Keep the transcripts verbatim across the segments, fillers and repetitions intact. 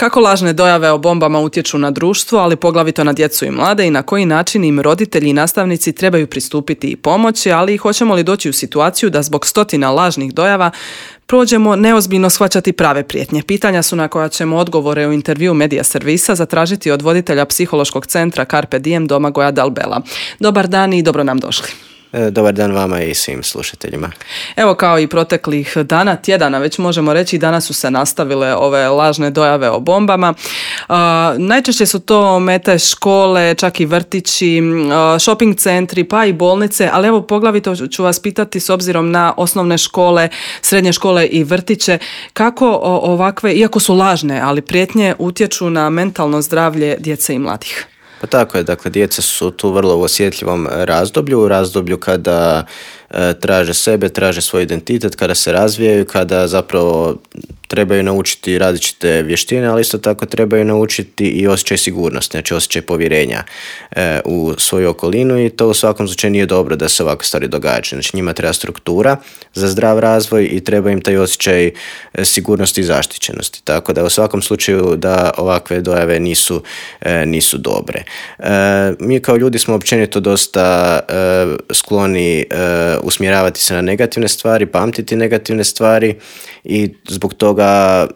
Kako lažne dojave o bombama utječu na društvo, ali poglavito na djecu i mlade, i na koji način im roditelji i nastavnici trebaju pristupiti i pomoći, ali i hoćemo li doći u situaciju da zbog stotina lažnih dojava prođemo neozbiljno shvaćati prave prijetnje. Pitanja su na koja ćemo odgovore u intervju Medija servisa zatražiti od voditelja psihološkog centra Carpe Diem Domagoja Dalbela. Dobar dan i dobro nam došli. Dobar dan vama i svim slušateljima. Evo, kao i proteklih dana, tjedana, već možemo reći, danas su se nastavile ove lažne dojave o bombama. Uh, najčešće su to mete škole, čak i vrtići, uh, shopping centri, pa i bolnice, ali evo poglavito ću vas pitati s obzirom na osnovne škole, srednje škole i vrtiće, kako ovakve, iako su lažne, ali prijetnje utječu na mentalno zdravlje djece i mladih. Pa tako je, dakle, djeca su tu vrlo u osjetljivom razdoblju, u razdoblju kada e, traže sebe, traže svoj identitet, kada se razvijaju, kada zapravo trebaju naučiti različite vještine, ali isto tako trebaju naučiti i osjećaj sigurnosti, znači osjećaj povjerenja e, u svoju okolinu, i to u svakom slučaju nije dobro da se ovakve stvari događaju. Znači njima treba struktura za zdrav razvoj i treba im taj osjećaj sigurnosti i zaštićenosti. Tako da u svakom slučaju da ovakve dojave nisu, e, nisu dobre. E, mi kao ljudi smo općenito dosta e, skloni e, usmjeravati se na negativne stvari, pamtiti negativne stvari, i zbog toga,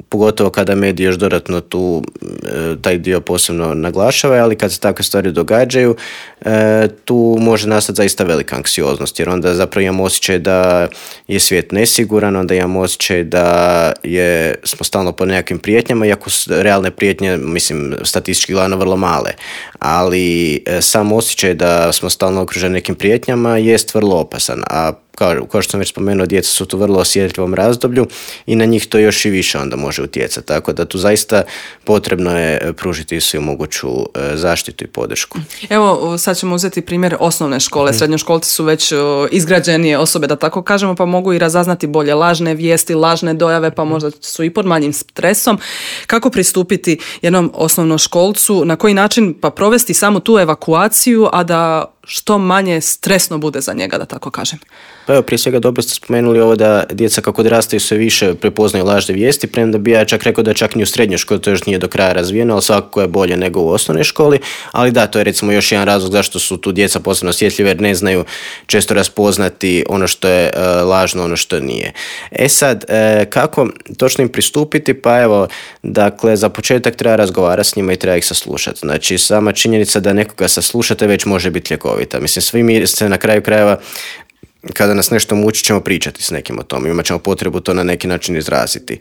pogotovo kada mediji još dodatno tu e, taj dio posebno naglašava, ali kad se takve stvari događaju, e, tu može nastati zaista velika anksioznost, jer onda zapravo imamo osjećaj da je svijet nesiguran, onda imamo osjećaj da je, smo stalno pod nekakvim prijetnjama, iako su realne prijetnje, mislim, statistički gledano vrlo male, ali e, sam osjećaj da smo stalno okruženi nekim prijetnjama jest vrlo opasan, a Kao, kao što sam već spomenuo, djeca su tu vrlo osjetljivom razdoblju i na njih to još i više onda može utjecati. Tako da tu zaista potrebno je pružiti svu moguću zaštitu i podršku. Evo, sad ćemo uzeti primjer osnovne škole. Srednjoškolci su već izgrađenije osobe, da tako kažemo, pa mogu i razaznati bolje lažne vijesti, lažne dojave, pa možda su i pod manjim stresom. Kako pristupiti jednom osnovnoškolcu, na koji način pa provesti samu tu evakuaciju, a da što manje stresno bude za njega, da tako kažem? Pa evo, prije svega dobro ste spomenuli ovo da djeca kako odrastaju sve više prepoznaju lažne vijesti, premda bi ja čak rekao da čak ni u srednjoj školi to još nije do kraja razvijeno, ali svakako je bolje nego u osnovnoj školi, ali da, to je recimo još jedan razlog zašto su tu djeca posebno osjetljive, jer ne znaju često raspoznati ono što je e, lažno, ono što nije. E sad, e, kako točno im pristupiti? Pa evo, dakle, za početak treba razgovarati s njima i treba ih saslušati. Znači, sama činjenica da nekoga saslušate već može biti ljekovita. Mislim, svi mi se na kraju krajeva, kada nas nešto muči, ćemo pričati s nekim o tom, imat ćemo potrebu to na neki način izraziti.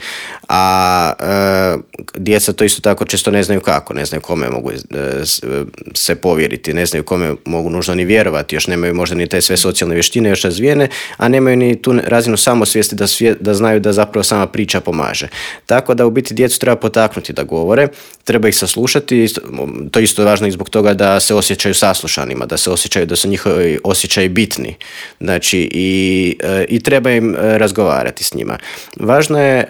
A e, djeca to isto tako često ne znaju kako, ne znaju kome mogu e, se povjeriti, ne znaju kome mogu nužno ni vjerovati, još nemaju možda ni te sve socijalne vještine još razvijene, a nemaju ni tu razinu samosvijesti da, svije, da znaju da zapravo sama priča pomaže. Tako da u biti djecu treba potaknuti da govore, treba ih saslušati, to isto je važno i zbog toga da se osjećaju saslušanima, da se osjećaju da su njihovi osjećaji bitni. Znači, I, i treba im razgovarati s njima. Važno je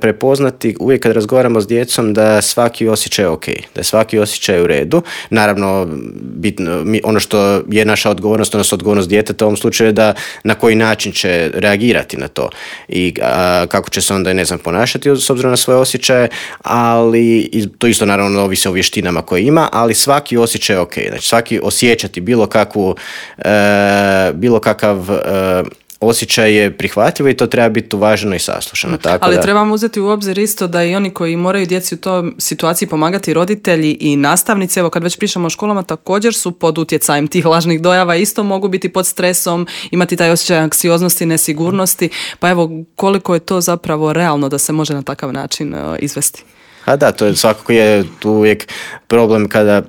prepoznati uvijek kad razgovaramo s djecom da svaki osjećaj je ok, da je svaki osjećaj u redu. Naravno, bitno, ono što je naša odgovornost, odnosno odgovornost djeteta u ovom slučaju je da na koji način će reagirati na to i a, kako će se onda, ne znam, ponašati s obzirom na svoje osjećaje, ali to isto naravno ovisi o vještinama koje ima, ali svaki osjećaj je ok. Znači, svaki osjećati bilo kakvu, e, bilo kakav osjećaj je prihvatljivo i to treba biti uvaženo i saslušano. Tako Ali da... trebamo uzeti u obzir isto da i oni koji moraju djeci u toj situaciji pomagati, roditelji i nastavnici, evo kad već pričamo o školama, također su pod utjecajem tih lažnih dojava, isto mogu biti pod stresom, imati taj osjećaj anksioznosti, nesigurnosti, pa evo koliko je to zapravo realno da se može na takav način uh, izvesti? A da, to je svakako je tu uvijek problem kada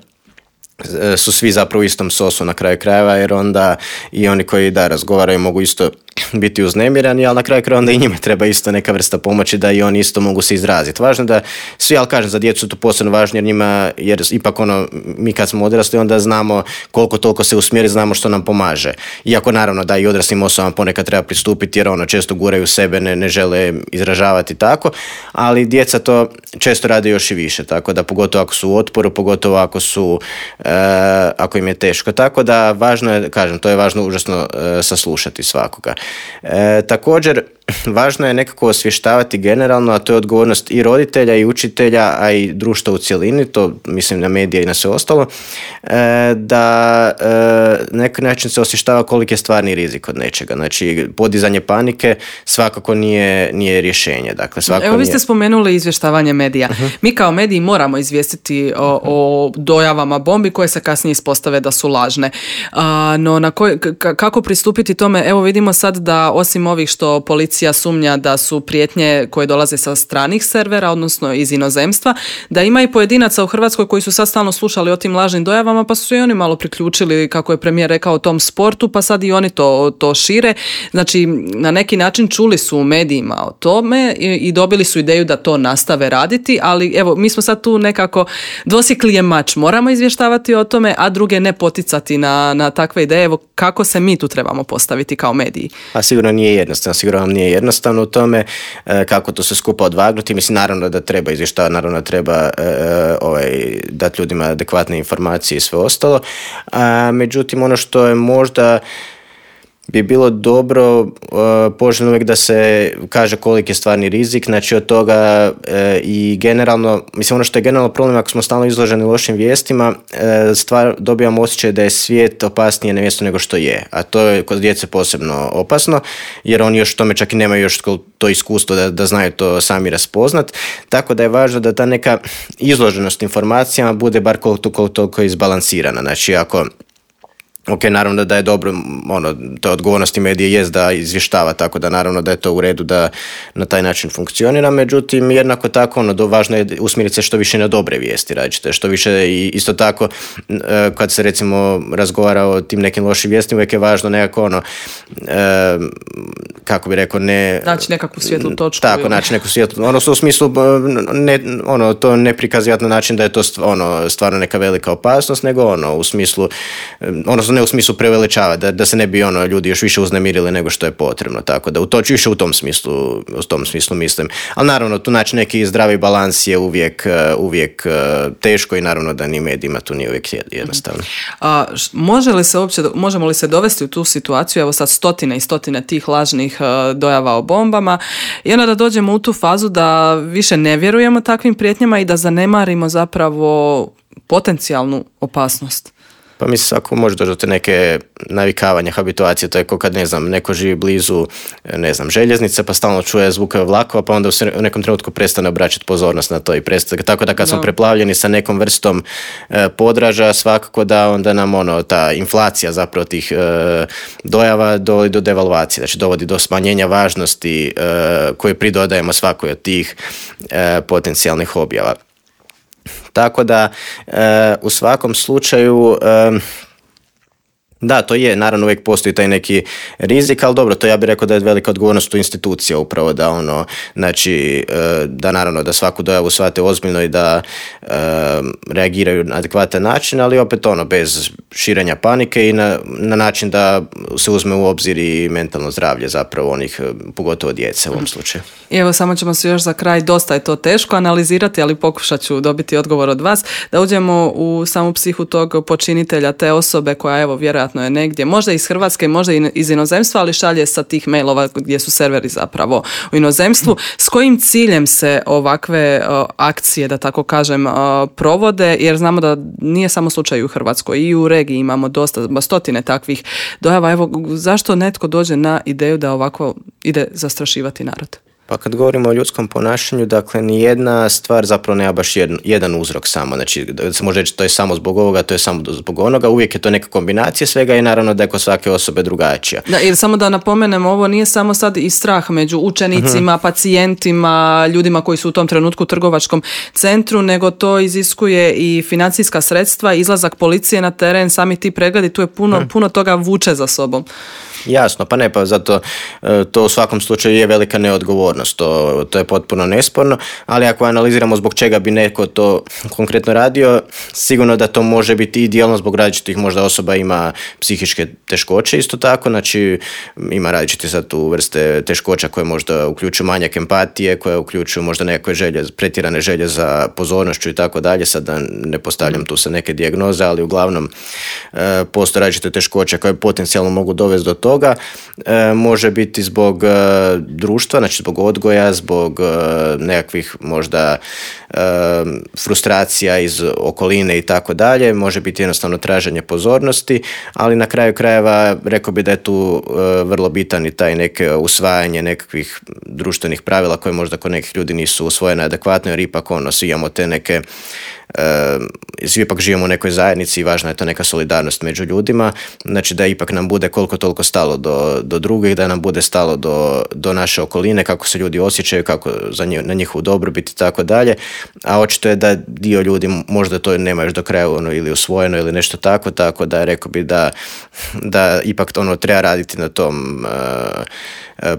su svi zapravo u istom sosu na kraju krajeva, jer onda i oni koji da razgovaraju mogu isto biti uznemirani, ali na kraju krajeva onda i njima treba isto neka vrsta pomoći da i oni isto mogu se izraziti. Važno da svi, ali kažem, za djecu to posebno važno, jer njima, jer ipak ono, mi kad smo odrasli onda znamo koliko toliko se usmjeri, znamo što nam pomaže. Iako naravno da i odraslim osobama ponekad treba pristupiti, jer ono često guraju sebe, ne, ne žele izražavati tako, ali djeca to često rade još i više, tako da pogotovo ako su u otporu, pogotovo ako su e, ako im je teško. Tako da važno je, kažem, to je važno užasno e, saslušati svakoga. E, također, važno je nekako osvještavati generalno, a to je odgovornost i roditelja i učitelja, a i društva u cjelini, to mislim na medije i na sve ostalo, e, da e, na neki način se osvještava koliki je stvarni rizik od nečega. Znači, podizanje panike svakako nije, nije rješenje. Dakle, svakako Evo, vi ste nije... spomenuli izvještavanje medija. Uh-huh. Mi kao mediji moramo izvijestiti o, o dojavama bombi koje se kasnije ispostave da su lažne. A, no, na koj, k- kako pristupiti tome? Evo, vidimo sad da osim ovih što policija sumnja da su prijetnje koje dolaze sa stranih servera, odnosno iz inozemstva, da ima i pojedinaca u Hrvatskoj koji su sad stalno slušali o tim lažnim dojavama, pa su se i oni malo priključili, kako je premijer rekao, o tom sportu, pa sad i oni to, to šire. Znači, na neki način čuli su u medijima o tome i, i dobili su ideju da to nastave raditi, ali evo, mi smo sad tu nekako dvosjekli je mač. Moramo izvještavati o tome, a druge ne poticati na, na takve ideje. Evo, kako se mi tu trebamo postaviti kao mediji? A sigurno nije jednostavno, sigurno vam nije jednostavno u tome e, kako to se skupa odvagnuti. Mislim, naravno da treba izvještavati, naravno da treba e, ovaj, dati ljudima adekvatne informacije i sve ostalo. A, međutim, ono što je možda bi bilo dobro, uh, poželjno uvijek da se kaže koliki je stvarni rizik, znači od toga uh, i generalno, mislim ono što je generalno problem ako smo stalno izloženi lošim vijestima, uh, stvar, dobijamo osjećaj da je svijet opasnije na mjestu nego što je, a to je kod djece posebno opasno, jer oni još tome čak i nemaju još to iskustvo da, da znaju to sami raspoznat, tako da je važno da ta neka izloženost informacijama bude bar koliko toliko izbalansirana, znači ako ok, naravno da je dobro, ono, to odgovornosti medije jest da izvještava, tako da naravno da je to u redu da na taj način funkcionira, međutim jednako tako ono, važno je usmjeriti se što više na dobre vijesti, radite, što više i isto tako kad se recimo razgovara o tim nekim lošim vijestima, uvijek je važno nekako ono, e, kako bi rekao, ne... Naći nekakvu svijetlu točku. Tako, ili... naći neku svijetlu, ono u smislu, ne, ono, to ne prikazivati na način da je to ono, stvarno neka velika opasnost, nego ono, u smislu, ono, ne u smislu preveličavati, da, da se ne bi ono ljudi još više uznemirili nego što je potrebno, tako da u to više u tom smislu, u tom smislu mislim. Ali naravno tu naći neki zdravi balans je uvijek, uvijek teško i naravno da ni medijima tu nije uvijek jednostavno. A, može li se uopće, možemo li se dovesti u tu situaciju, evo sad stotine i stotine tih lažnih dojava o bombama i onda da dođemo u tu fazu da više ne vjerujemo takvim prijetnjama i da zanemarimo zapravo potencijalnu opasnost? Pa mislim, ako može doći do te neke navikavanja, habituacije, to je kao kad, ne znam, neko živi blizu, ne znam, željeznice, pa stalno čuje zvukove vlakova, pa onda u nekom trenutku prestane obraćati pozornost na to i prestane. Tako da kad no. smo preplavljeni sa nekom vrstom e, podraža, svakako da onda nam ono, ta inflacija zapravo tih e, dojava dovodi do devalvacije, znači dovodi do smanjenja važnosti e, koje pridodajemo svakoj od tih e, potencijalnih objava. Tako da e, u svakom slučaju e, da, to je, naravno uvijek postoji taj neki rizik, ali dobro, to ja bih rekao da je velika odgovornost u institucija upravo da ono, znači, da naravno da svaku dojavu shvate ozbiljno i da e, reagiraju na adekvatan način, ali opet ono, bez širenja panike i na, na način da se uzme u obzir i mentalno zdravlje zapravo onih, pogotovo djece u ovom slučaju. I evo, samo ćemo se još za kraj, dosta je to teško analizirati, ali pokušat ću dobiti odgovor od vas, da uđemo u samu psihu tog počinitelja, te osobe koja, evo, vjerojatno je negdje, možda iz Hrvatske, možda i iz inozemstva, ali šalje sa tih mailova gdje su serveri zapravo u inozemstvu. S kojim ciljem se ovakve uh, akcije, da tako kažem, uh, provode, jer znamo da nije samo slučaj u Hrvatskoj, i u regiji imamo dosta, stotine takvih dojava. Evo, zašto netko dođe na ideju da ovako ide zastrašivati narod? Pa kad govorimo o ljudskom ponašanju, dakle, nijedna stvar zapravo nema baš jedan, jedan uzrok samo. Znači, da se može reći to je samo zbog ovoga, to je samo zbog onoga. Uvijek je to neka kombinacija svega i naravno da je kod svake osobe drugačija. Da, jer samo da napomenemo, ovo nije samo sad i strah među učenicima, uh-huh. pacijentima, ljudima koji su u tom trenutku u trgovačkom centru, nego to iziskuje i financijska sredstva, izlazak policije na teren, sami ti pregledi, tu je puno, uh-huh. puno toga vuče za sobom. Jasno, pa ne, pa zato to u svakom slučaju je velika neodgovornost. odgovornost, to, to je potpuno nesporno, ali ako analiziramo zbog čega bi neko to konkretno radio, sigurno da to može biti i dijelno zbog različitih možda osoba ima psihičke teškoće isto tako, znači ima različite sad tu vrste teškoća koje možda uključuju manjak empatije, koje uključuju možda nekakve želje, pretjerane želje za pozornošću i tako dalje, sad da ne postavljam tu sa neke dijagnoze, ali uglavnom e, postoje različite teškoće koje potencijalno mogu dovesti do toga, e, može biti zbog e, društva, znači zbog odgoja, zbog e, nekakvih možda e, frustracija iz okoline i tako dalje, može biti jednostavno traženje pozornosti, ali na kraju krajeva rekao bi da je tu e, vrlo bitan i taj neke usvajanje nekakvih društvenih pravila koje možda kod nekih ljudi nisu usvojene adekvatno, jer ipak ono, svi imamo te neke Uh, svi ipak živimo u nekoj zajednici i važna je to neka solidarnost među ljudima, znači da ipak nam bude koliko toliko stalo do, do drugih, da nam bude stalo do, do naše okoline, kako se ljudi osjećaju, kako za njih, na njihovu dobrobit i tako dalje, a očito je da dio ljudi možda to nema još do kraja ono, ili usvojeno ili nešto tako, tako da rekao bi da, da ipak ono treba raditi na tom uh,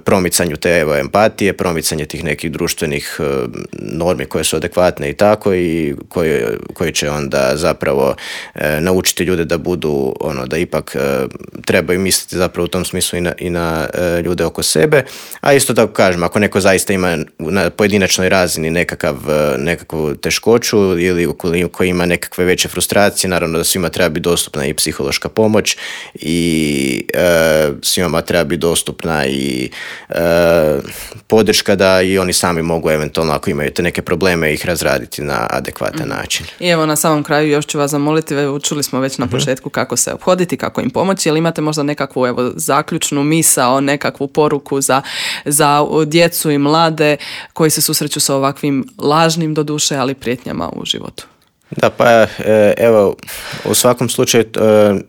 promicanju te evo, empatije, promicanje tih nekih društvenih uh, normi koje su adekvatne i tako i koje, koje će onda zapravo uh, naučiti ljude da budu ono da ipak uh, trebaju misliti zapravo u tom smislu i na, i na uh, ljude oko sebe, a isto tako kažem, ako neko zaista ima na pojedinačnoj razini nekakav, uh, nekakvu teškoću ili ukoliko ima nekakve veće frustracije, naravno da svima treba biti dostupna i psihološka pomoć i uh, svima treba biti dostupna i E, podrška da i oni sami mogu eventualno ako imaju te neke probleme ih razraditi na adekvatan mm. način. I evo na samom kraju još ću vas zamoliti, čuli smo već na mm-hmm. početku kako se ophoditi, kako im pomoći, ali imate možda nekakvu evo zaključnu misao, nekakvu poruku za, za djecu i mlade koji se susreću sa ovakvim lažnim doduše, ali prijetnjama u životu? Da, pa evo, u svakom slučaju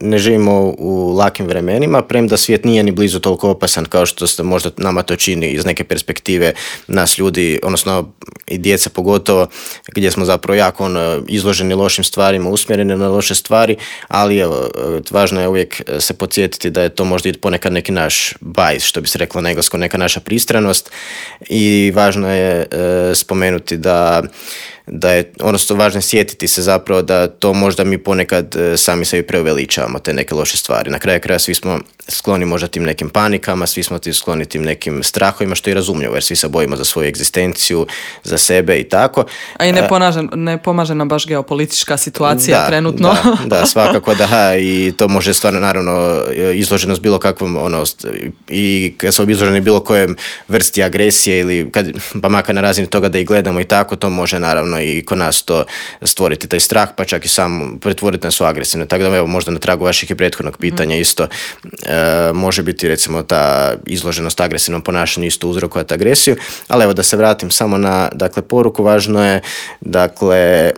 ne živimo u lakim vremenima, premda svijet nije ni blizu toliko opasan kao što se možda nama to čini iz neke perspektive nas ljudi, odnosno i djeca pogotovo, gdje smo zapravo jako ono, izloženi lošim stvarima, usmjereni na loše stvari, ali evo, važno je uvijek se podsjetiti da je to možda i ponekad neki naš bias, što bi se reklo na engleskom, neka naša pristranost i važno je e, spomenuti da da je, odnosno važno je sjetiti se zapravo da to možda mi ponekad e, sami sebi preuveličavamo te neke loše stvari. Na kraju kraja svi smo skloni možda tim nekim panikama, svi smo ti skloni tim nekim strahovima, što je razumljivo jer svi se bojimo za svoju egzistenciju, za sebe i tako. A i ne, pomaže, ne pomaže nam baš geopolitička situacija da, trenutno. Da, da, svakako da, ha, i to može stvarno naravno izloženost bilo kakvom, ono, i kad smo izloženi bilo kojem vrsti agresije ili kad, pa makar na razini toga da ih gledamo i tako, to može naravno i kod nas to stvoriti taj strah, pa čak i sam pretvoriti nas u agresivne. Tako da evo, možda na tragu vaših i prethodnog pitanja mm. isto e, može biti recimo ta izloženost agresivnom ponašanju isto uzrokovati agresiju, ali evo da se vratim samo na dakle poruku, važno je dakle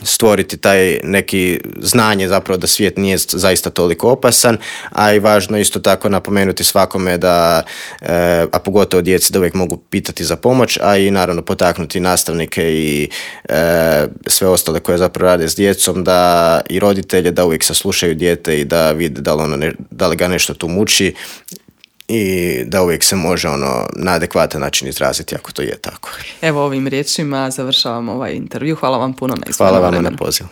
stvoriti taj neki znanje zapravo da svijet nije zaista toliko opasan, a i važno isto tako napomenuti svakome da, e, a pogotovo djeci da uvijek mogu pitati za pomoć, a i naravno potaknuti nastavnike i e, sve ostale koje zapravo rade s djecom, da i roditelje da uvijek saslušaju dijete i da vide da li, ono ne, da li ga nešto tu muči i da uvijek se može ono na adekvatan način izraziti ako to je tako. Evo ovim riječima završavamo ovaj intervju. Hvala vam puno na izvršenju. Hvala vam na pozivu.